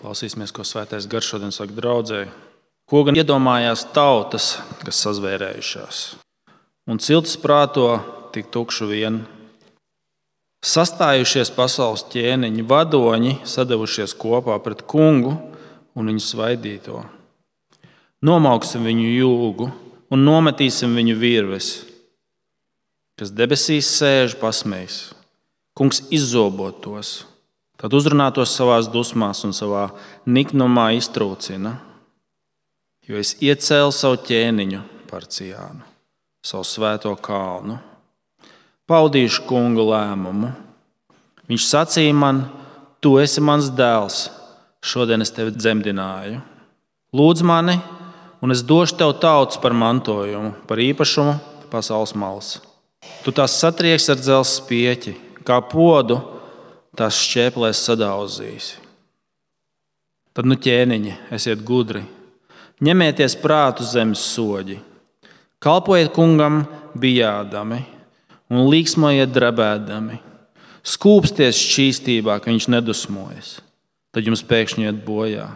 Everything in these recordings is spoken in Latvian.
Klausīsimies, ko Svētais Gars šodien saka draudzēji. Ko gan iedomājās tautas, kas sazvērējušās, un ciltis prāto tik tukšu vien. Sastājušies pasaules ķēniņi, vadoņi, sadevušies kopā pret kungu un viņu svaidīto. Nomauksim viņu jūgu un nometīsim viņu virves, kas debesīs sēž pasmējis. Kungs izzobot tos, tad uzrunātos savās dusmās un savā niknumā iztrūcina. Jo es iecēlu savu ķēniņu par Ciānu, savu svēto kalnu. Paudīšu kunga lēmumu. Viņš sacīja man, tu esi mans dēls, šodien es tevi dzemdināju. Lūdz mani, un es došu tev tautas par mantojumu, par īpašumu pasaules malas. Tu tās satrieks ar dzelzs spieķi, kā podu tās šķēplēs sadauzīsi. Tad nu ķēniņi, esiet gudri, ņemieties prātu zemes soģi, kalpojiet kungam bijādami un līksmojiet drebēdami, skūpsties šķīstībā, ka viņš nedusmojas, tad jums pēkšņi iet bojā.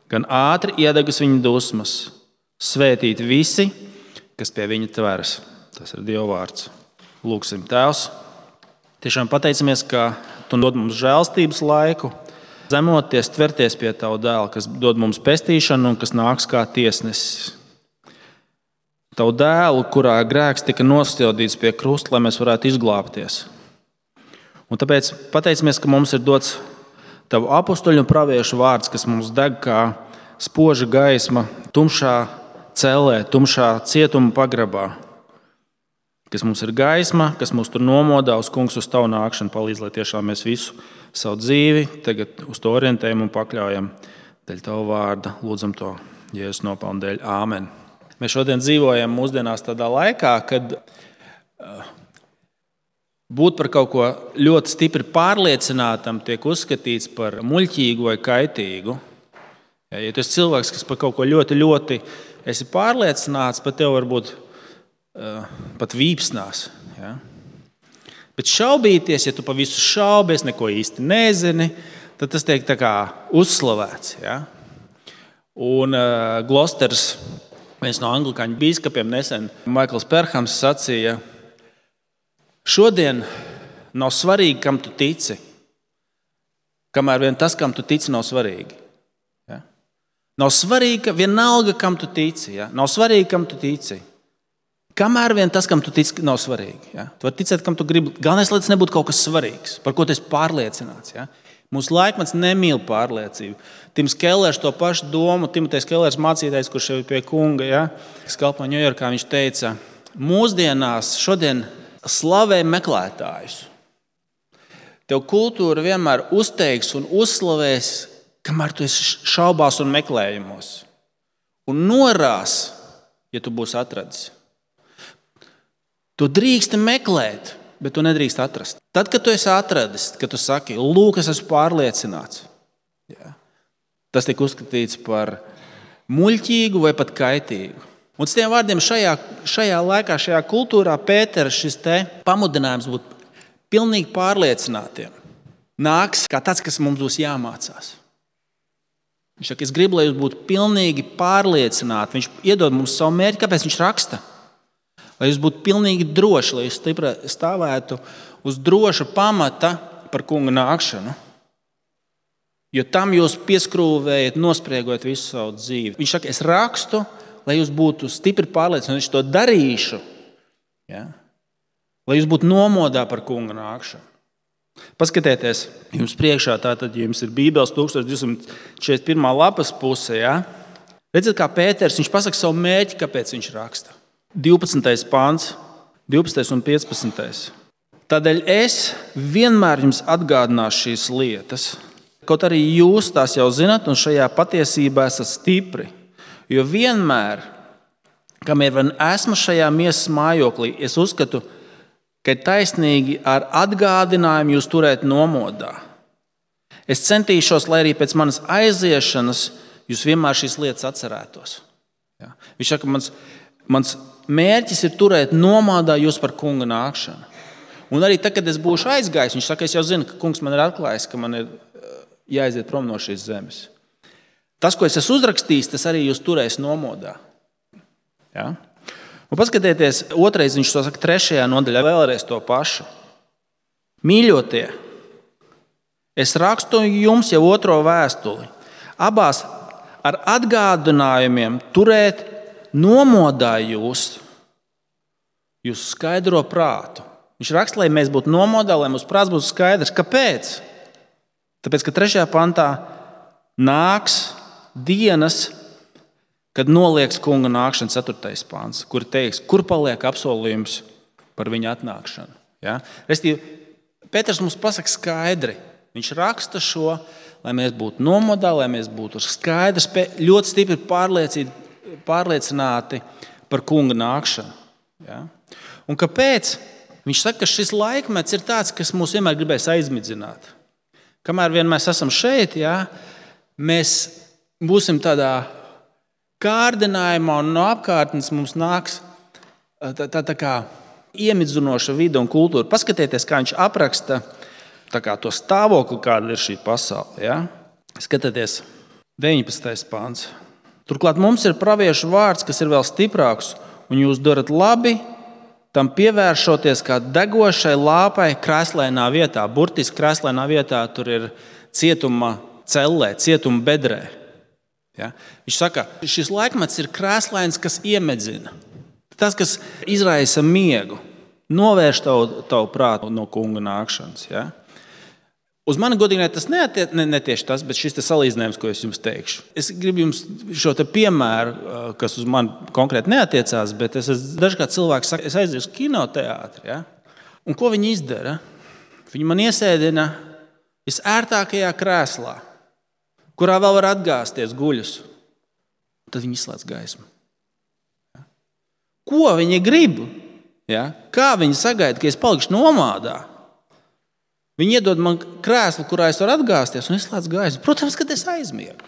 Gan ātri iedegas viņa dusmas, svētīt visi, kas pie viņa tveras. Tas ir Dieva vārds. Lūksim, Tēvs, tiešām pateicamies, ka tu dod mums žēlstības laiku, zemoties, tverties pie tavu dēla, kas dod mums pestīšanu un kas nāks kā tiesnesis. Tavu dēlu, kurā grēks tika nostādīts pie krusta, lai mēs varētu izglābties. Un tāpēc pateicamies, ka mums ir dots tavu apustuļu un praviešu vārds, kas mums deg kā spoža gaisma tumšā cellē, tumšā cietuma pagrabā. Kas mums ir gaisma, kas mūs tur nomodā uz kungs, uz tavu nākšanu, palīdz, lai tiešām mēs visu savu dzīvi tagad uz to orientējam un pakļaujam dēļ tavu vārda. Lūdzam to Jēzus nopelnu dēļ. Āmen. Mēs šodien dzīvojam mūsdienās tādā laikā, kad būt par kaut ko ļoti stipri pārliecinātam tiek uzskatīts par muļķīgu vai kaitīgu. Ja tu esi cilvēks, kas par kaut ko ļoti, ļoti esi pārliecināts, pat tev varbūt pat vīpsnās. Ja? Bet šaubīties, ja tu pa visu šaubies, neko īsti nezini, tad tas tiek tā kā uzslavēts. Ja? Un Glosters, viens no anglikāņu bīskapiem nesen, Maikls Perhams sacīja, šodien nav svarīgi, kam tu tici, kamēr vien tas, kam tu tici, nav svarīgi. Ja? Nav svarīgi, ka vienalga, kam tu tici. Ja? Nav svarīgi, kam tu tici. Kamēr vien tas, kam tu tici, nav svarīgi. Ja? Tu vari ticēt, kam tu gribi. Galvenais, lai tas nebūtu kaut kas svarīgs, par ko tu esi pārliecināts. Ja? Mūsu laikmets nemīl pārliecību. Tims Kellers to pašu domu, Timotejs Kellers mācītājs, kurš jau ir pie kunga, ja? Kas kalpo Ņujorkā, viņš teica, mūsdienās šodien slavē meklētājus. Tev kultūra vienmēr uzteiks un uzslavēs, kamēr tu esi šaubās un meklējumos. Un norās, ja tu būsi atradis. Tu drīksti meklēt, bet tu nedrīkst atrast. Tad, kad tu esi atradis, kad tu saki, lūk, es esmu pārliecināts, ja, tas tiek uzskatīts par muļķīgu vai pat kaitīgu. Un ar tiem vārdiem šajā laikā, šajā kultūrā Pētera šis pamudinājums būt pilnīgi pārliecinātiem nāks kā tāds, kas mums būs jāmācās. Viņš saka, es gribu, lai jūs būtu pilnīgi pārliecināti. Viņš iedod mums savu mērķi, kāpēc viņš raksta. Lai jūs būtu pilnīgi droši, lai jūs stāvētu uz droša pamata par kunga nākšanu. Jo tam jūs pieskrūvējat, nospriegojat visu savu dzīvi. Viņš saka, es rakstu, lai jūs būtu stipri pārliecināti, un es to darīšu. Ja? Lai jūs būtu nomodā par kunga nākšanu. Paskatieties, jums priekšā tātad, ja jums ir Bībeles 1241. lapas puse. Ja? Redziet, kā Pēters, viņš pasaka savu mērķi, kāpēc viņš raksta. 12. pāns, 12. un 15. Tādēļ es vienmēr jums atgādināšu šīs lietas, kaut arī jūs tās jau zinat un šajā patiesībā esat stipri. Jo vienmēr, kamēr vien esmu šajā miesas mājoklī, es uzskatu, ka ir taisnīgi ar atgādinājumu jūs turēt nomodā. Es centīšos, lai arī pēc manas aiziešanas jūs vienmēr šīs lietas atcerētos. Ja? Viņš saka, mans mērķis ir turēt nomodā jūs par kunga nākšanu. Un arī tad, kad es būšu aizgājis, viņš saka, es jau zinu, ka kungs man ir atklājis, ka man ir jāiziet prom no šīs zemes. Tas, ko es esmu uzrakstījis, tas arī jūs turēs nomodā. Ja? Un paskatieties, otrais viņš to saka 3. nodaļā, vēlreiz to pašu. Mīļotie, es rakstu jums jau 2. vēstuli. Abās ar atgādinājumiem turēt nomodā jūsu skaidro prātu. Viņš raksta, lai mēs būtu nomodā, lai mūsu prāts būtu skaidrs. Kāpēc? Tāpēc, ka 3. pantā nāks dienas, kad nolieks kunga nākšana, 4. pants, kur teiks, kur paliek apsolījums par viņa atnākšanu. Ja? Restīvi, Pēters mums pasaka skaidri. Viņš raksta šo, lai mēs būtu nomodā, lai mēs būtu skaidrs, ļoti stipri pārliecināti par kunga nākšanu. Ja? Un kāpēc? Viņš saka, ka šis laikmets ir tāds, kas mūs vienmēr gribēs aizmidzināt. Kamēr vien mēs esam šeit, ja, mēs būsim tādā kārdinājumā un no apkārtnes mums nāks tā kā iemidzinoša vide un kultūra. Paskatieties, kā viņš apraksta to stāvokli, kāda ir šī pasaule. Ja? Skatieties, 19. pāns. Turklāt mums ir praviešu vārds, kas ir vēl stiprāks, un jūs darat labi, tam pievēršoties kā degošai lāpai krēslainā vietā. Burtiski krēslainā vietā tur ir cietuma cellē, cietuma bedrē. Ja? Viņš saka, šis laikmets ir krēslains, kas iemedzina. Tas, kas izraisa miegu, novērš tavu prātu no kunga nākšanas. Ja? Uz mani godīgi tas ne tieši tas, bet šis salīdzinājums, ko es jums teikšu. Es gribu jums šo piemēru, kas uz mani konkrēti neatiecās, bet dažkārt cilvēki saka, es aizēju uz kinoteātri. Ja? Un ko viņi izdara? Viņi man iesēdina visērtākajā krēslā, kurā vēl var atgāzties guļus. Tad viņi izslēdz gaismu. Ja? Ko viņi grib? Ja? Kā viņi sagaida, ka es palikšu nomādā? Viņi iedod man krēslu, kurā es varu atgāzties un izslēdz gaismu. Protams, kad es aizmiegu.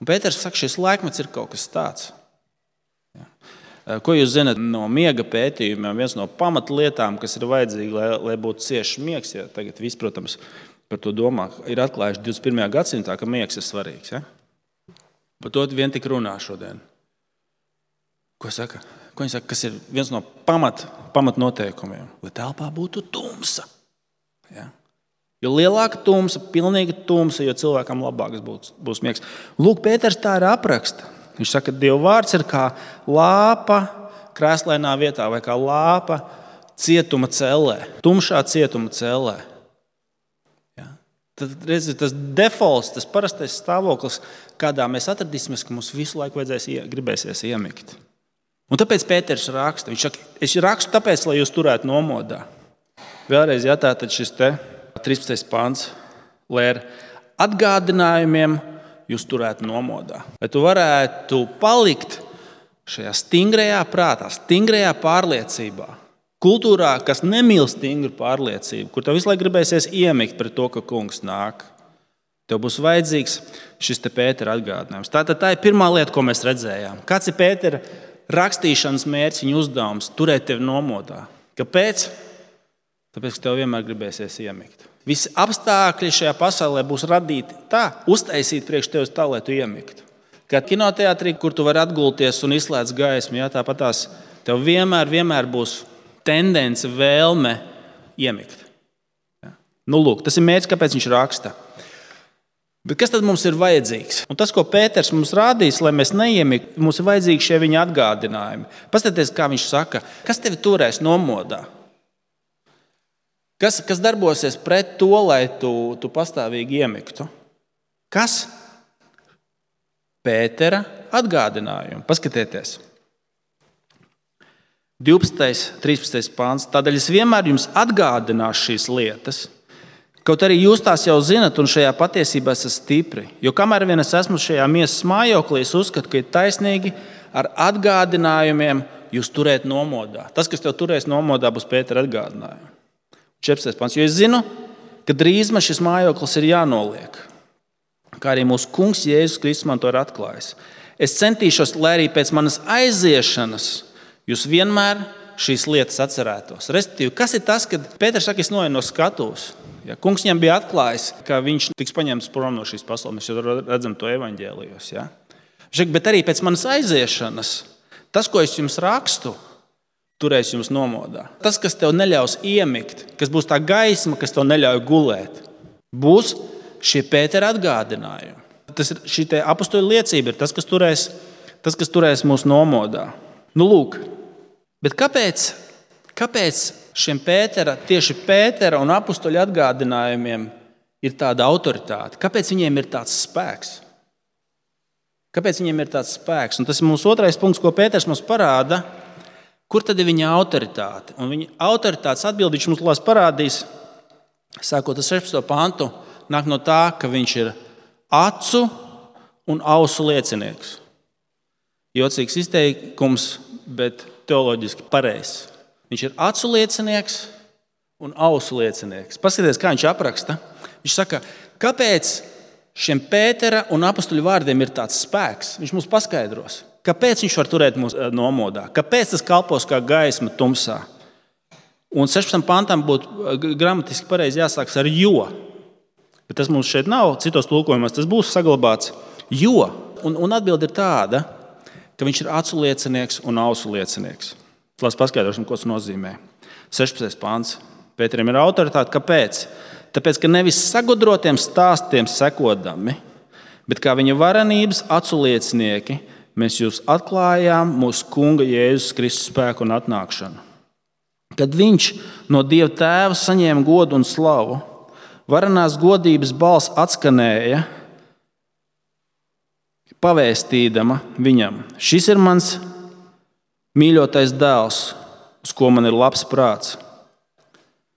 Un Pēters saka, šis laikmets ir kaut kas tāds. Ja. Ko jūs zināt no miega pētījumiem? Viens no pamatlietām, kas ir vajadzīga, lai būtu ciešs miegs, ja tagad viss, protams, par to domā, ir atklājuši 21. gadsimtā, ka miegs ir svarīgs. Ja. Par to vien tik runā šodien. Ko saka? Ko viņi saka, kas ir viens no pamatnoteikumiem? Lai telpā būtu tumsa. Ja. Jo lielāka tumsa, pilnīga tumsa, jo cilvēkam labāks būs miegs. Lūk, Pēters tā ir apraksta. Viņš saka, ka Dieva vārds ir kā lāpa krēslainā vietā vai kā lāpa cietuma cellē, tumšā cietuma cellē. Ja. Tad redziet, tas defaults, tas parastais stāvoklis, kādā mēs atradīsimies, ka mums visu laiku gribēsies iemigt. Un tāpēc Pēters raksta. Viņš saka, es rakstu tāpēc, lai jūs turētu nomodā. Vēlreiz jātātad šis 13. pāns, lai ar atgādinājumiem jūs turētu nomodā. Lai tu varētu palikt šajā stingrajā prātā, stingrajā pārliecībā, kultūrā, kas nemīl stingru pārliecību, kur tev visu laiku gribēsies iemigt pret to, ka kungs nāk. Tev būs vajadzīgs šis Pētera atgādinājums. Tā ir pirmā lieta, ko mēs redzējām. Kāds ir Pētera rakstīšanas mērķis, viņa uzdevums? Turēt tevi nomodā. Kāpēc? Tāpēc, ka tev vienmēr gribēsies iemigt. Visi apstākļi šajā pasaulē būs radīti tā, uztaisīti priekš tevis tā, lai tu iemiktu. Kā kinoteātrī, kur tu vari atgulties un izslēdz gaismu, tāpat tās tev vienmēr būs tendence, vēlme iemigt. Ja? Lūk, tas ir mērķis, kāpēc viņš raksta. Bet kas tad mums ir vajadzīgs? Un tas, ko Pēters mums rādīs, lai mēs neiemiktu, mums ir vajadzīgi šie viņa atgādinājumi. Paskatieties, kā viņš saka, kas tevi turēs nomodā? Kas darbosies pret to, lai tu pastāvīgi iemiktu? Kas? Pētera atgādinājumi. Paskatieties. 12. 13. pāns. Tādēļ es vienmēr jums atgādināšu šīs lietas, kaut arī jūs tās jau zinat un šajā patiesībā esat stipri. Jo kamēr vien es esmu šajā miesas mājoklī, es uzskatu, ka ir taisnīgi ar atgādinājumiem jūs turēt nomodā. Tas, kas tev turēs nomodā, būs Pētera atgādinājumi. 14. pants. Jo es zinu, ka drīz man šis mājoklis ir jānoliek, kā arī mūsu kungs Jēzus Kristus man to ir atklājis. Es centīšos, lai arī pēc manas aiziešanas jūs vienmēr šīs lietas atcerētos. Respektīvi, kas ir tas, kad Pēters saka, es noeju no skatuves? Ja, kungs viņam bija atklājis, ka viņš tiks paņemts prom no šīs pasaules. Mēs jau redzam to evaņģēlijos. Ja? Bet arī pēc manas aiziešanas, tas, ko es jums rakstu, turēs jums nomodā. Tas, kas tev neļaus iemigt, kas būs tā gaisma, kas tev neļauj gulēt, būs šie Pētera atgādinājumi. Šī apustuļu liecība ir tas, kas turēs mūs nomodā. Nu, lūk, bet kāpēc šiem tieši Pētera un apustuļu atgādinājumiem ir tāda autoritāte? Kāpēc viņiem ir tāds spēks? Kāpēc viņiem ir tāds spēks? Un tas ir mūsu otrais punkts, ko Pēters mums parāda. Kur tad ir viņa autoritāte? Un viņa autoritātes atbildi viņš mums parādīs, sākot ar 16. pantu, nāk no tā, ka viņš ir acu un ausu liecinieks. Jocīgs izteikums, bet teoloģiski pareizs. Viņš ir acu liecinieks un ausu liecinieks. Paskatieties, kā viņš apraksta. Viņš saka, kāpēc šiem Pētera un apustuļu vārdiem ir tāds spēks? Viņš mums paskaidros. Kāpēc viņš var turēt mūs nomodā? Kāpēc tas kalpos kā gaisma tumsā? Un 16. pantam būtu gramatiski pareizi jāsākas ar jo. Bet tas mums šeit nav, citos tulkojumos tas būs saglabāts. Jo. Un atbilde ir tāda, ka viņš ir acu liecinieks un ausu liecinieks. Lai paskaidrosim, ko tas nozīmē. 16. pants. Pēterim ir autoritāte. Kāpēc? Tāpēc, ka nevis sagudrotiem stāstiem sekodami, bet kā viņa varenības acu liecinieki, mēs jūs atklājām mūsu Kunga Jēzus Kristus spēku un atnākšanu. Kad viņš no Dieva Tēva saņēma godu un slavu, varenās godības balss atskanēja, pavēstīdama viņam: šis ir mans mīļotais dēls, uz ko man ir labs prāts.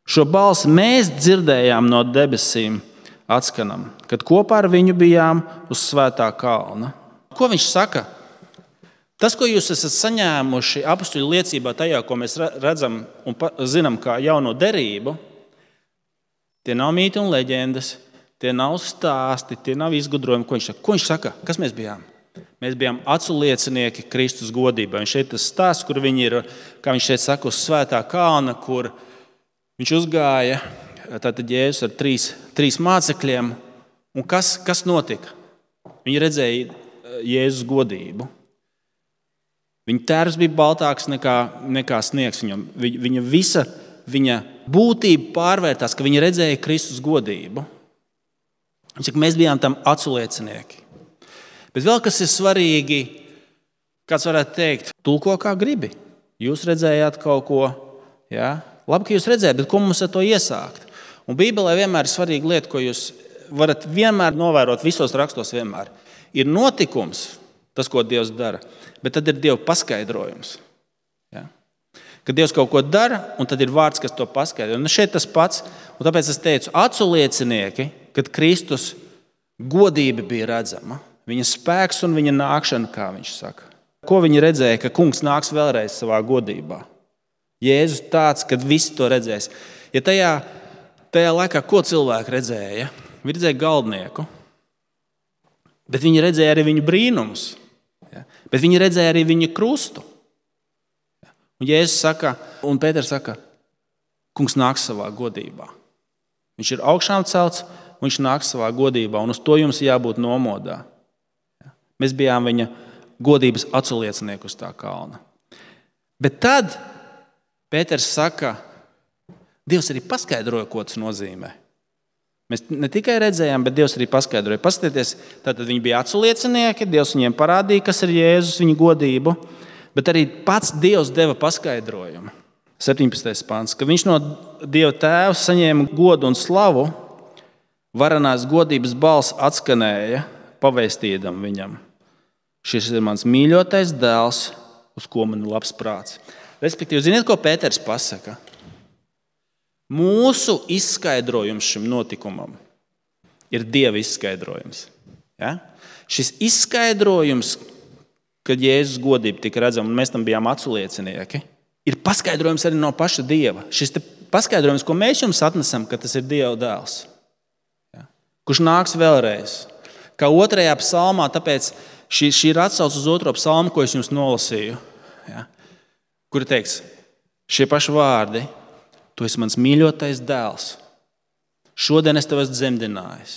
Šo balsi mēs dzirdējām no debesīm atskanam, kad kopā ar viņu bijām uz Svētā kalna. Ko viņš saka? Tas, ko jūs esat saņēmuši apustuļu liecībā tajā, ko mēs redzam un zinām kā jauno derību, tie nav mīti un leģendas, tie nav stāsti, tie nav izgudrojumi. Ko viņš saka? Kas mēs bijām? Mēs bijām acu liecinieki Kristus godībā. Viņš šeit tas stāsts, kur viņi ir, kā viņš šeit saka, uz Svētā kalna, kur viņš uzgāja, tātad Jēzus ar trīs mācekļiem. Un kas notika? Viņi redzēja Jēzus godību. Viņa tērs bija baltāks nekā sniegs viņam. Viņa būtība pārvērtās, ka viņa redzēja Kristus godību. Viņš saka, mēs bijām tam acu liecinieki. Bet vēl kas ir svarīgi, kāds varētu teikt, tulko kā gribi. Jūs redzējāt kaut ko, jā? Labi, ka jūs redzējāt, bet ko mums ar to iesākt? Un Bībelē vienmēr ir svarīga lieta, ko jūs varat vienmēr novērot visos rakstos vienmēr. Ir notikums, tas, ko Dievs dara, bet tad ir Dieva paskaidrojums. Ja? Kad Dievs kaut ko dara, un tad ir vārds, kas to paskaidro. Un šeit tas pats, un tāpēc es teicu, acu liecinieki, kad Kristus godība bija redzama, viņa spēks un viņa nākšana, kā viņš saka. Ko viņi redzēja, ka kungs nāks vēlreiz savā godībā? Jēzus tāds, kad visi to redzēs. Ja tajā laikā, ko cilvēki redzēja? Viņi redzēja galdnieku, bet viņi redzēja arī viņu brīnumus. Ja? Bet viņi redzēja arī viņa krustu. Ja? Un Jēzus saka, un Pēters saka, kungs nāks savā godībā. Viņš ir augšām celts, viņš nāks savā godībā, un uz to jums jābūt nomodā. Ja? Mēs bijām viņa godības aculiecinieki uz tā kalna. Bet tad Pēters saka, Dievs arī paskaidroja, ko tas nozīmē. Mēs ne tikai redzējām, bet Dievs arī paskaidroja. Paskatieties, tātad viņi bija aculiecinieki, Dievs viņiem parādīja, kas ir Jēzus, viņa godību, bet arī pats Dievs deva paskaidrojumu. 17. pants, ka viņš no Dieva Tēva saņēma godu un slavu, varenās godības balss atskanēja, pavēstīdam viņam: šis ir mans mīļotais dēls, uz ko man ir labs prāts. Respektīvi, ziniet, ko Pēters pasaka? Mūsu izskaidrojums šim notikumam ir Dieva izskaidrojums. Ja? Šis izskaidrojums, kad Jēzus godība tika redzama, un mēs tam bijām aculiecinieki, ir paskaidrojums arī no paša Dieva. Šis paskaidrojums, ko mēs jums atnesam, ka tas ir Dieva dēls, ja? Kurš nāks vēlreiz. Kā 2. psalmā, tāpēc šī ir atsauce uz 2. psalmu, ko es jums nolasīju, ja? Kur teiks šie paši vārdi: tu esi mans mīļotais dēls, Šodien es tev esmu dzemdinājis.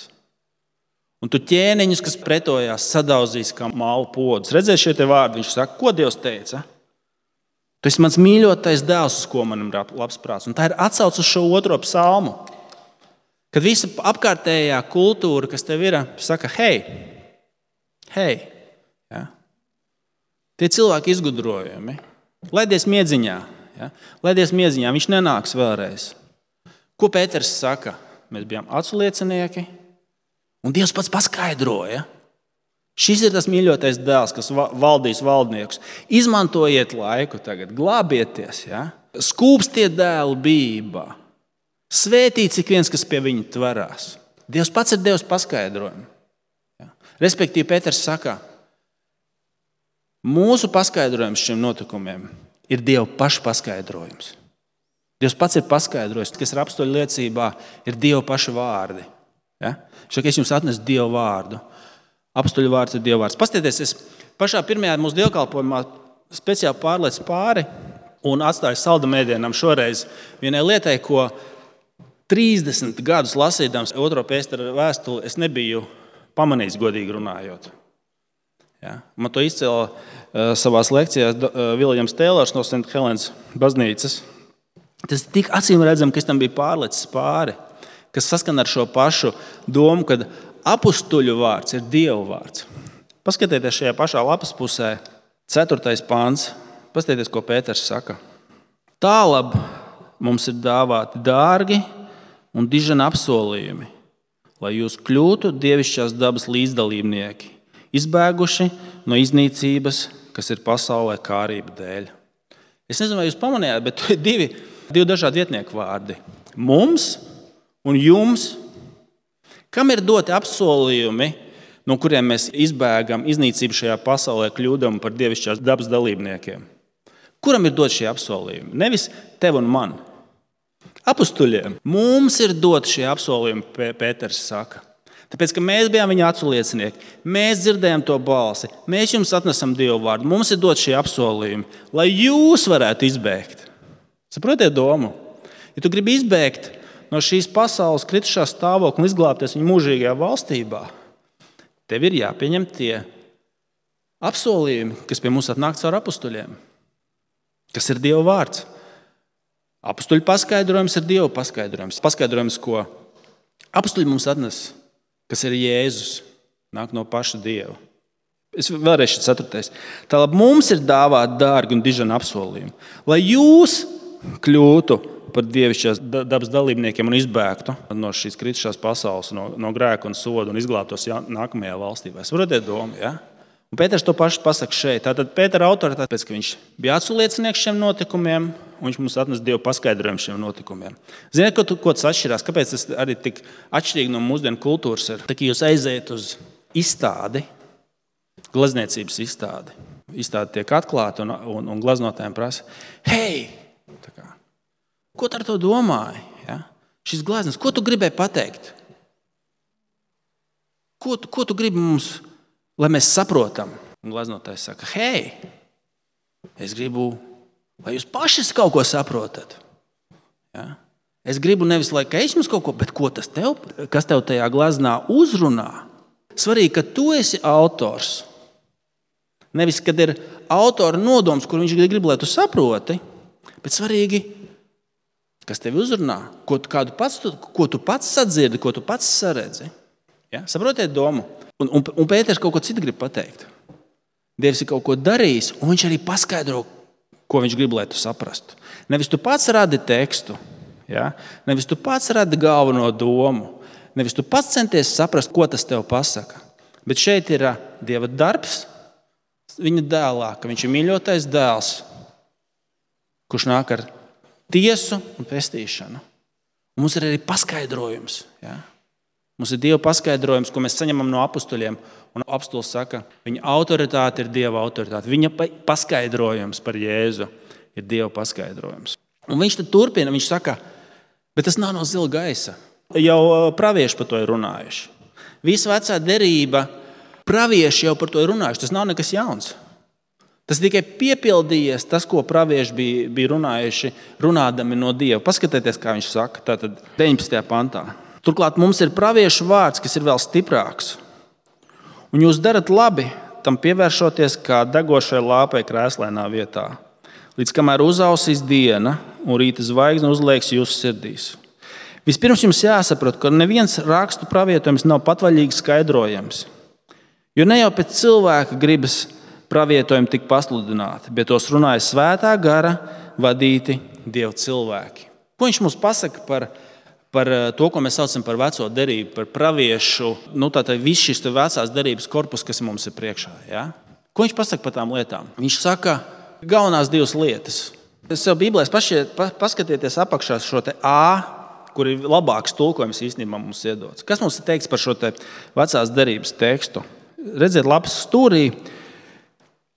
Un tu ķēniņus, kas pretojās, sadauzīs kā mālu podus. Redzēs šie te vārdi, viņš saka, ko Dievs teica? Tu esi mans mīļotais dēls, uz ko manam labs prāts. Un tā ir atsauce uz šo otro psalmu. Kad visa apkārtējā kultūra, kas tev ir, saka, hei. Ja? Tie cilvēki izgudrojumi. Laidies miedziņā. Ja? Laidies miedziņā, viņš nenāks vēlreiz. Ko Pēters saka? Mēs bijām acu liecinieki. Un Dievs pats paskaidroja. Šis ir tas mīļotais dēls, kas valdīs valdniekus. Izmantojiet laiku tagad, glābieties. Ja? Skūpstiet dēlu bībā. Svētīts ik viens, kas pie viņa tverās. Dievs pats ir Dievs paskaidrojumu. Ja? Respektīvi, Pēters saka, mūsu paskaidrojums šiem notikumiem ir Dieva paša paskaidrojums. Dievs pats ir paskaidrojis, kas ir apstuļu liecībā, ir Dieva paša vārdi. Ja? Šeit es jums atnesu Dieva vārdu. Apstuļu vārds ir Dieva vārds. Pastieties, es pašā pirmajā mūsu dievkalpojumā speciāli pārlecu pāri un atstāju saldam ēdienam šoreiz vienai lietai, ko 30 gadus lasīdams 2. Pētera vēstuli, es nebiju pamanījis godīgi runājot. Ja? Man to izcēla savās lekcijās Viljams Tēlors no St. Helens baznīcas. Tas tik acīm redzam, ka es tam biju pārlecis pāri, kas saskan ar šo pašu domu, ka apustuļu vārds ir Dieva vārds. Paskatieties šajā pašā lapas pusē, 4. pāns. Paskatieties, ko Pēters saka. Tālab mums ir dāvāti dārgi un dižani apsolījumi, lai jūs kļūtu dievišķās dabas līdzdalībnieki, izbēguši no iznīcības, kas ir pasaulē kārība dēļ. Es nezinu, vai jūs pamanījāt, bet divi dažādi vietnieku vārdi. Mums un jums, kam ir doti apsolījumi, no kuriem mēs izbēgam iznīcību šajā pasaulē, kļūdam par dievišķās dabas dalībniekiem? Kuram ir dot šie apsolījumi? Nevis tev un man. Apustuļiem. Mums ir dot šie apsolījumi, Pēters saka. Tāpēc, ka mēs bijām viņa acu liecinieki, mēs dzirdējām to balsi, mēs jums atnesam Dievu vārdu, mums ir dot šie apsolījumi, lai jūs varētu izbēgt. Saprotiet domu? Ja tu gribi izbēgt no šīs pasaules kritušā stāvokļa un izglābties viņa mūžīgajā valstībā, tev ir jāpieņem tie apsolījumi, kas pie mums atnāk caur apustuļiem, kas ir Dieva vārds. Apustuļu paskaidrojums ir Dieva paskaidrojums. Paskaidrojums, ko apustuļi mums atnes, kas ir Jēzus, nāk no paša Dieva. Es vēlreiz šis 4. Tālāk mums ir dāvāti dārgi un dižani apsolījumi, lai jūs kļūtu par dievišķās dabas dalībniekiem un izbēgtu no šīs kritušās pasaules, no grēka un soda un izglābtos nākamajā valstībā. Es varu domu, ja? Un Pēters to pašu pasaka šeit. Tātad Pētera autoritāte, pēc, ka viņš bija aculiecinieks šiem notikumiem, un viņš mums atnes Dievu paskaidrojumu šiem notikumiem. Ziniet, ko tas atšķirās? Kāpēc tas arī tik atšķirīgi no mūsdienu kultūras ir? Tā kā jūs aiziet uz izstādi, glezniecības izstādi. Izstāde tiek atklāta un glaznotājiem prasa, hei! Ko tu ar to domāji? Ja? Šis gleznieks, ko tu gribēji pateikt? Ko tu gribi mums, lai mēs saprotam? Un gleznotājs saka, hei, es gribu, lai jūs paši kaut ko saprotat. Ja? Es gribu nevis, lai es jums kaut ko, bet kas tev tajā gleznā uzrunā? Svarīgi, ka tu esi autors. Nevis, kad ir autora nodoms, kur viņš grib, lai tu saproti, bet svarīgi, kas tevi uzrunā, ko tu pats sadzirdi, ko tu pats saredzi. Ja? Saprotiet domu? Un Pēters kaut ko citu grib pateikt. Dievs ir kaut ko darījis, un viņš arī paskaidro, ko viņš grib, lai tu saprastu. Nevis tu pats radi tekstu, ja? Nevis tu pats radi galveno domu, nevis tu pats centies saprast, ko tas tev pasaka. Bet šeit ir Dieva darbs viņa dēlā, ka viņš ir mīļotais dēls, kurš nāk ar tiesu un pestīšanu. Un mums ir arī paskaidrojums. Ja? Mums ir Dieva paskaidrojums, ko mēs saņemam no apustuļiem. Un apustulis saka, viņa autoritāte ir Dieva autoritāte. Viņa paskaidrojums par Jēzu ir Dieva paskaidrojums. Un viņš tad turpina, viņš saka, bet tas nav no zila gaisa. Jau pravieši par to ir runājuši. Visa vecā derība, pravieši jau par to ir runājuši. Tas nav nekas jauns. Tas tikai piepildījies tas, ko pravieši bija runājuši, runādami no Dieva. Paskatieties, kā viņš saka, tātad 19. pantā. Turklāt mums ir praviešu vārds, kas ir vēl stiprāks. Un jūs darat labi, tam pievēršoties kā degošai lāpai krēslainā vietā, līdz kamēr uzausīs diena un rīta zvaigzne uzliekas jūsu sirdīs. Vispirms jums jāsaprot, ka neviens rakstu pravietojums nav patvaļīgi skaidrojams. Jo ne jau pēc cilvēka gribas pravietojumi tik pasludināti, bet tos runāja svētā gara vadīti Dieva cilvēki. Ko viņš mums pasaka par to, ko mēs saucam par veco derību, par praviešu, tātad viss šis vecās derības korpus, kas mums ir priekšā. Ja? Ko viņš pasaka par tām lietām? Viņš saka galvenās divas lietas. Sev Bībelēs paskatieties apakšā šo te A, kur ir labāks tulkojums īstenībā mums iedots. Kas mums ir teikts par šo te vecās derības tekstu? Redziet, lapas stūrī.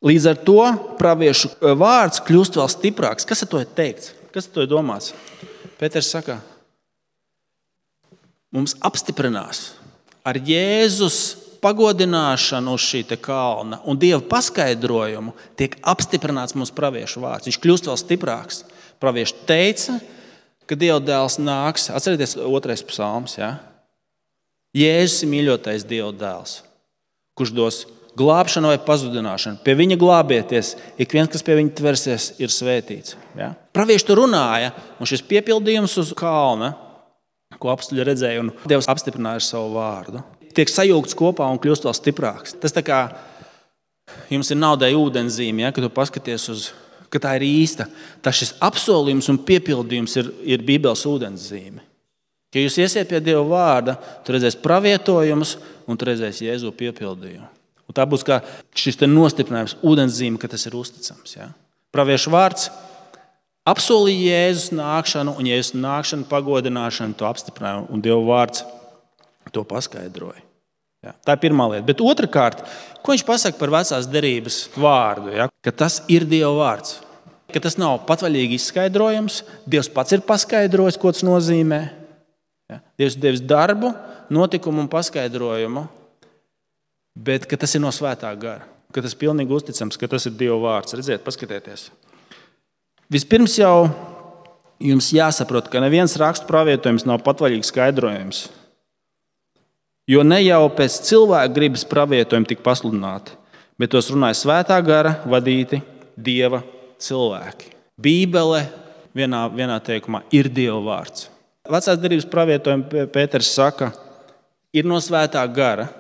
Līdz ar to praviešu vārds kļūst vēl stiprāks. Kas ar to ir teikts? Kas ar to ir domāts? Pēters saka, mums apstiprinās ar Jēzus pagodināšanu uz šī kalna un Dieva paskaidrojumu tiek apstiprināts mūsu praviešu vārds. Viņš kļūst vēl stiprāks. Pravieši teica, ka Dieva dēls nāks. Atcerieties 2. psalms. Ja? Jēzus ir mīļotais Dieva dēls, kurš dos glābšanu vai pazudināšanu. Pie viņa glābieties, ik viens, kas pie viņa tversies, ir svētīts. Ja? Pravieši tur runāja, un šis piepildījums uz kalna, ko apstuļi redzēja, un Dievs apstiprināja savu vārdu, tiek sajūgts kopā un kļūst vēl stiprāks. Tas tā kā jums ir naudai ūdenzīme, ja, kad tu paskaties ka tā ir īsta. Tas šis apsolījums un piepildījums ir Bībeles ūdenzīme. Ja jūs iesiet pie Dieva vārda, tu redzēs pravietojumus un tu redzēs Jēzu piepildījumu. Un tā būs kā šis nostiprinājums ūdenzīme, ka tas ir uzticams. Ja. Praviešu vārds apsolīja Jēzus nākšanu, un Jēzus nākšanu pagodināšanu to apstiprināja, un Dieva vārds to paskaidroja. Ja, tā ir pirmā lieta. Bet otrkārt, ko viņš pasaka par vecās derības vārdu? Ja? Ka tas ir Dieva vārds. Ka tas nav patvaļīgi izskaidrojums. Dievs pats ir paskaidrojis, ko tas nozīmē. Ja? Dievs ir devis darbu, notikumu un paskaidrojumu, bet ka tas ir no svētā gara. Ka tas ir pilnīgi uzticams, ka tas ir Dieva vārds. Redziet, paskatieties. Vispirms jau jums jāsaprot, ka neviens rakstu pravietojums nav patvaļīgs skaidrojums. Jo ne jau pēc cilvēka gribas pravietojumi tik pasludināti, bet tos runāja svētā gara vadīti Dieva cilvēki. Bībele vienā teikumā ir Dieva vārds. Vecās derības pravietojumi Pēters saka, ir no svētā gara,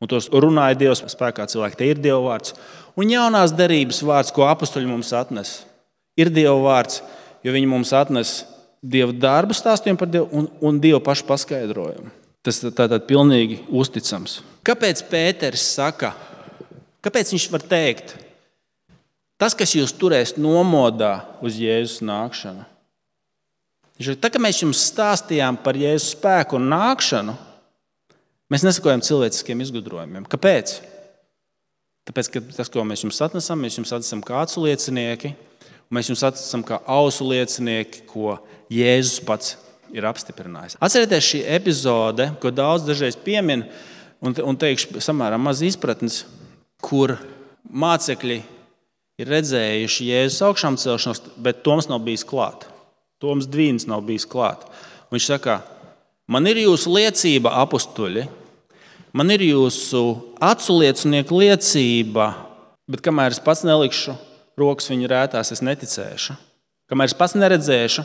un tos runāja Dieva spēkā cilvēki. Te ir Dieva vārds. Un jaunās derības vārds, ko apustuļi mums atnes, ir Dieva vārds, jo viņi mums atnes Dieva darbu stāstījumu par Dievu un Dieva pašu paskaidrojumu. Tas tātad pilnīgi uzticams. Kāpēc Pēters saka, kāpēc viņš var teikt, tas, kas jūs turēs nomodā uz Jēzus nākšanu? Tā, ka mēs jums stāstījām par Jēzus spēku un nākšanu, mēs nesakojam cilvēciskiem izgudrojumiem. Kāpēc? Tāpēc, ka tas, ko mēs jums atnesam kā acu liecinieki, un mēs jums atnesam kā ausu liecinieki, ko Jēzus pats ir apstiprinājis. Atcerieties šī epizode, ko daudz dažreiz piemin, un teikšu samērā maz izpratnes, kur mācekļi ir redzējuši Jēzus augšām celšanos, bet Toms nav bijis klāt. Toms Dvīns nav bijis klāt. Un viņš saka, man ir jūsu liecība, apustuļi, man ir jūsu acu liecinieku liecība, bet kamēr es pats nelikšu rokas viņa rētās, es neticēšu. Kamēr es pats neredzēšu,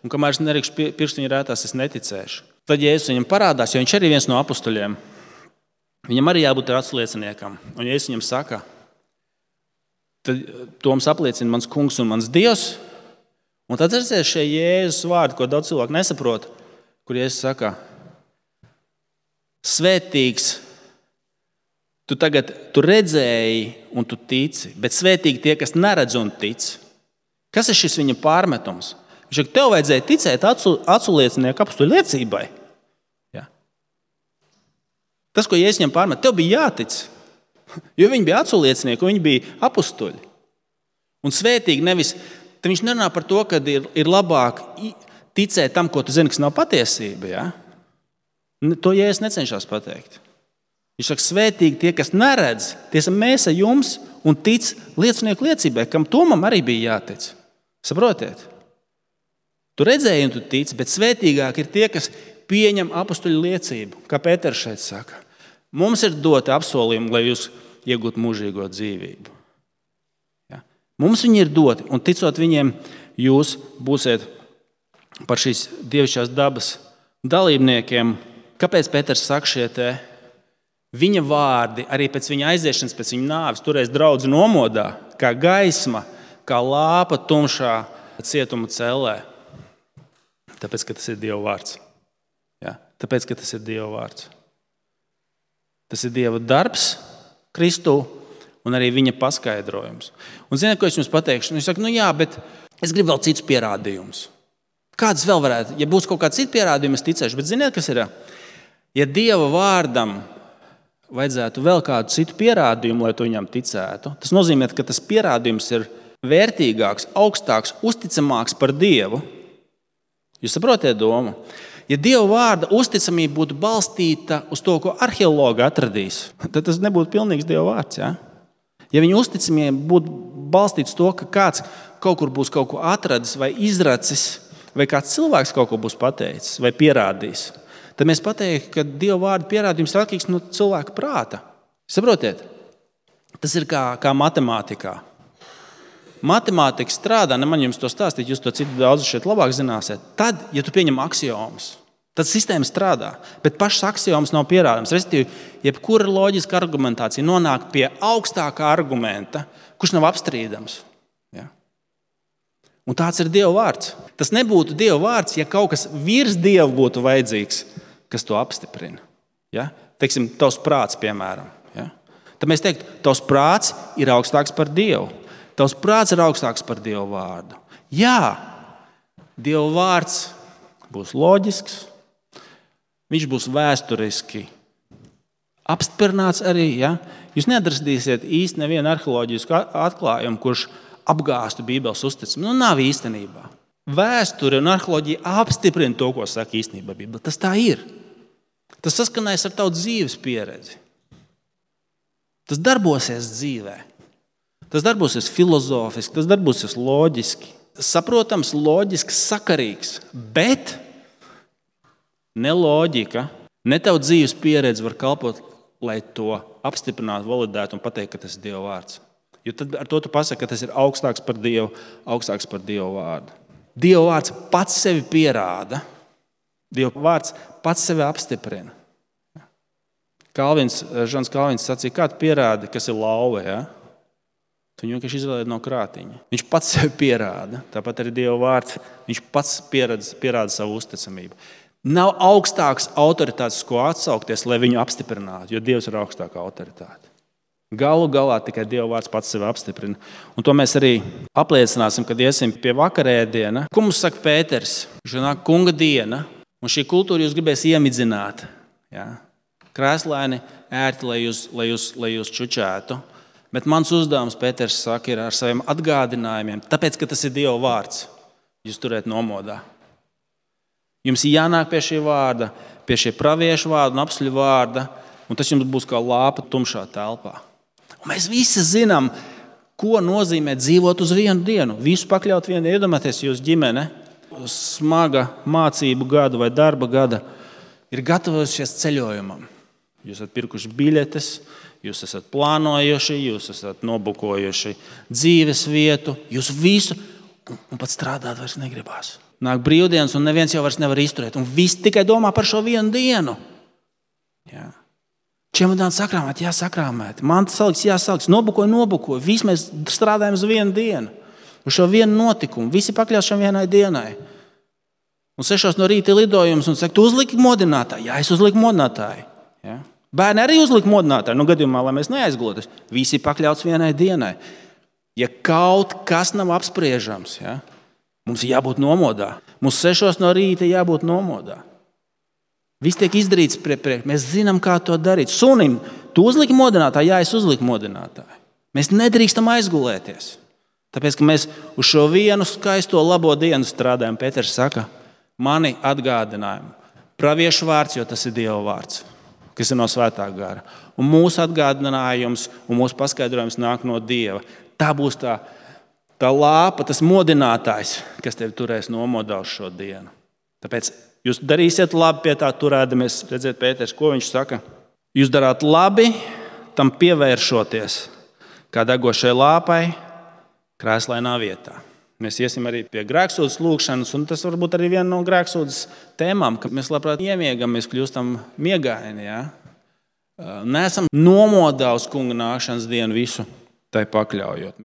un kamēr es nelikšu pirkstu viņa rētās, es neticēšu. Tad Jēzus viņam parādās, jo viņš arī viens no apustuļiem. Viņam arī jābūt acu lieciniekam. Un Jēzus viņam saka, tad Toms apliecina mans kungs un mans Dievs. Un tad redzēs šie Jēzus vārdi, ko daudz cilvēku nesaprot, kur Jēzus saka, svētīgs, tu redzēji un tu tici, bet svētīgi tie, kas neredz un tic. Kas ir šis viņa pārmetums? Viņš saka, tev vajadzēja ticēt acu liecinieku apustuļu liecībai. Ja. Tas, ko Jēzus viņam pārmet, tev bija jātic. Jo viņi bija acu liecinieki, viņi bija apustuļi. Un svētīgi nevis, tad viņš nerunā par to, ka ir labāk ticēt tam, ko tu zini, kas nav patiesība. Ja. To Jēzus necenšas pateikt. Viņš saka, svētīgi tie, kas neredz, tie esam mēs ar jums un tic liecinieku liecībai, kam Tomam arī bija jātic. Saprotiet? Tu redzēji un tu tici, bet svētīgāk ir tie, kas pieņem apostuļu liecību, kā Pēters šeit saka. Mums ir doti apsolījumi, lai jūs iegūtu mūžīgo dzīvību. Ja? Mums viņi ir doti, un ticot viņiem, jūs būsiet par šīs dievišķās dabas dalībniekiem. Kāpēc Pēters saka šie te? Viņa vārdi arī pēc viņa aiziešanas, pēc viņa nāves, turēs draudzi nomodā, kā gaisma, kā lāpa tumšā cietuma cellē. Tāpēc, ka tas ir Dieva vārds. Ja? Tāpēc, ka tas ir Dieva vārds. Tas ir Dieva darbs Kristū un arī viņa paskaidrojums. Un ziniet, ko es jums pateikšu? Viņš saka, jā, bet es gribu vēl citus pierādījumus. Kādas vēl varētu? Ja būs kaut kāds cits pierādījums, es ticēšu. Bet ziniet, kas ir? Ja Dieva vārdam vajadzētu vēl kādu citu pierādījumu, lai tu viņam ticētu, tas nozīmē, ka tas pierādījums ir vērtīgāks, augstāks, uzticamāks par Dievu. Jūs saprotiet domu? Ja Dieva vārda uzticamība būtu balstīta uz to, ko arheologi atradīs, tad tas nebūtu pilnīgs Dieva vārds. Ja, ja viņa uzticamība būtu balstīta uz to, ka kāds kaut kur būs kaut ko atradis vai izracis, vai kāds cilvēks kaut ko būs pateicis vai pierādījis, tad mēs pateiktu, ka Dieva vārda pierādījums ir atkarīgs no cilvēka prāta. Saprotiet? Tas ir kā matemātikā. Matemātika strādā, ne man jums to stāstīt, jūs to citu daudz šeit labāk zināsiet. Tad, ja tu pieņem aksiomus, tad sistēma strādā, bet pašas aksiomas nav pierādāmas. Respektīvi, jebkura loģiska argumentācija nonāk pie augstākā argumenta, kurš nav apstrīdams. Ja? Un tāds ir Dieva vārds. Tas nebūtu Dieva vārds, ja kaut kas virs Dieva būtu vajadzīgs, kas to apstiprina. Ja? Teiksim, tavs prāts, piemēram. Ja? Tad mēs teiktu, tavs prāts ir augstāks par Dievu. Tavs prāts ir augstāks par Dieva vārdu. Jā, Dieva vārds būs loģisks, viņš būs vēsturiski apstiprināts arī. Ja? Jūs neatradīsiet īsti nevienu arheoloģisku atklājumu, kurš apgāstu Bībeles uzticamību. Nav īstenībā. Vēsture un arheoloģija apstiprina to, ko saka īstenībā Bībele. Tas tā ir. Tas saskanēs ar tavu dzīves pieredzi. Tas darbosies dzīvē. Tas darbosies filozofiski, tas darbosies loģiski. Saprotams, loģiski, sakarīgs, bet ne loģika, ne tavu dzīves pieredze var kalpot, lai to apstiprinātu, validētu un pateikt, ka tas ir Dieva vārds. Jo tad ar to tu pasaki, ka tas ir augstāks par Dievu, augstāks par Dieva vārdu. Dieva vārds pats sevi pierāda. Dieva vārds pats sevi apstiprina. Žans Kalvins sacīja, kā tu pierādi, kas ir lauve, ja? Tu viņu vienkārši izvēlēji no krātiņa. Viņš pats sevi pierāda. Tāpat arī Dieva vārds. Viņš pats pierāda savu uzticamību. Nav augstāks autoritātes, ko atsaukties, lai viņu apstiprinātu, jo Dievs ir augstākā autoritāte. Galu galā tikai Dieva vārds pats sevi apstiprina. Un to mēs arī apliecināsim, kad iesim pie vakarēdiena. Ko mums saka Pēters? Viņš nāk kunga diena, un šī kultūra jūs gribēs iemidzināt. Ja? Krēslaini ērti, lai jūs čučētu. Bet mans uzdevums, Pēters saka, ir ar saviem atgādinājumiem, tāpēc, ka tas ir Dieva vārds, jūs turēt nomodā. Jums ir jānāk pie šī vārda, pie šie praviešu vārda un apstuļu vārda, un tas jums būs kā lāpa tumšā telpā. Un mēs visi zinām, ko nozīmē dzīvot uz vienu dienu. Visu pakļaut vienu, iedomāties jūs ģimene, smaga mācību gada vai darba gada, ir gatavojušies ceļojumam. Jūs esat pirkuši biļetes, jūs esat plānojuši, jūs esat nobukojuši dzīves vietu, jūs visu, un pat strādāt vairs negribās. Nāk brīvdienas, un neviens jau vairs nevar izturēt, un viss tikai domā par šo vienu dienu. Jā. Čemodāni sakrāmēt, sakrāmēt. Mantas saliks, saliks. Nobukoju. Visi mēs strādājam uz vienu dienu, uz šo vienu notikumu. Visi pakļaus šam vienai dienai. Un 6 no rīta lidojums, un saka, tu uzliki modinātāju. Jā, es uzliku modinātāju. Jā. Bērni arī uzlika modinātāju, gadījumā, lai mēs neaizglotos. Visi pakļauts vienai dienai. Ja kaut kas nav apspriežams, ja, mums ir jābūt nomodā. Mums 6 no rīta jābūt nomodā. Viss tiek izdarīts priekš. Mēs zinām, kā to darīt. Sunim, tu uzliki modinātāju? Jā, es uzliku modinātāju. Mēs nedrīkstam aizgulēties. Tāpēc, ka mēs uz šo vienu skaisto labo dienu strādājam. Pēters saka, mani atgādinājumi. Praviešu vārds, jo tas ir Dieva vārds, kas ir no svētā gara. Un mūsu atgādinājums un mūsu paskaidrojums nāk no Dieva. Tā būs tā lāpa, tas modinātājs, kas tevi turēs nomodā uz šo dienu. Tāpēc Jūs darīsiet labi pie tā turēdamies. Redziet, Pēters, ko viņš saka? Jūs darāt labi, tam pievēršoties, kā degošai lāpai, krēslainā vietā. Mēs iesim arī pie grēksūdzes lūgšanas, un tas varbūt arī viena no grēksūdzes tēmām, ka mēs labprāt iemiegam, mēs kļūstam miegaini. Ja? Neesam nomodā uz kunga nākšanas dienu visu tai pakļaujot.